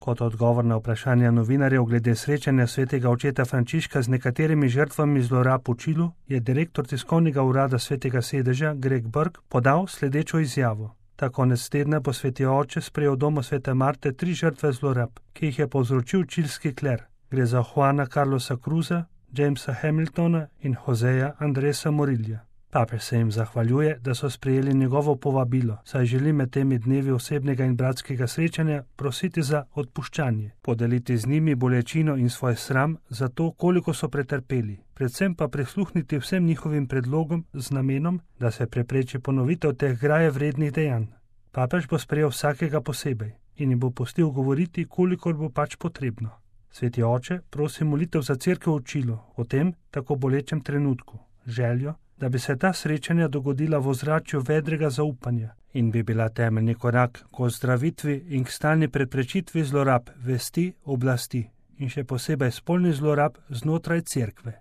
Kot odgovor na vprašanja novinarjev glede srečanja svetega očeta Frančiška z nekaterimi žrtvami zlorab v Čilu, je direktor tiskovnega urada svetega sedeža Greg Burke podal sledečo izjavo. Ta konec tedna bo sveti oče sprejel v domu svete Marte 3 žrtve zlorab, ki jih je povzročil čilski kler. Gre za Juana Carlosa Cruza, Jamesa Hamiltona in Joseja Andresa Morilja. Papež se jim zahvaljuje, da so sprejeli njegovo povabilo, saj želi med temi dnevi osebnega in bratskega srečanja prositi za odpuščanje, podeliti z njimi bolečino in svoj sram za to, koliko so pretrpeli, predvsem pa prisluhniti vsem njihovim predlogom z namenom, da se prepreči ponovitev teh graje vrednih dejanj. Papež bo sprejel vsakega posebej in jim bo pustil govoriti, kolikor bo pač potrebno. Sveti oče prosi molitev za cerkev v Čilu o tem tako bolečem trenutku, željo, da bi se ta srečanja dogodila v ozračju vedrega zaupanja in bi bila temeljni korak k ozdravitvi in k stalni preprečitvi zlorab vesti oblasti in še posebej spolnih zlorab znotraj cerkve.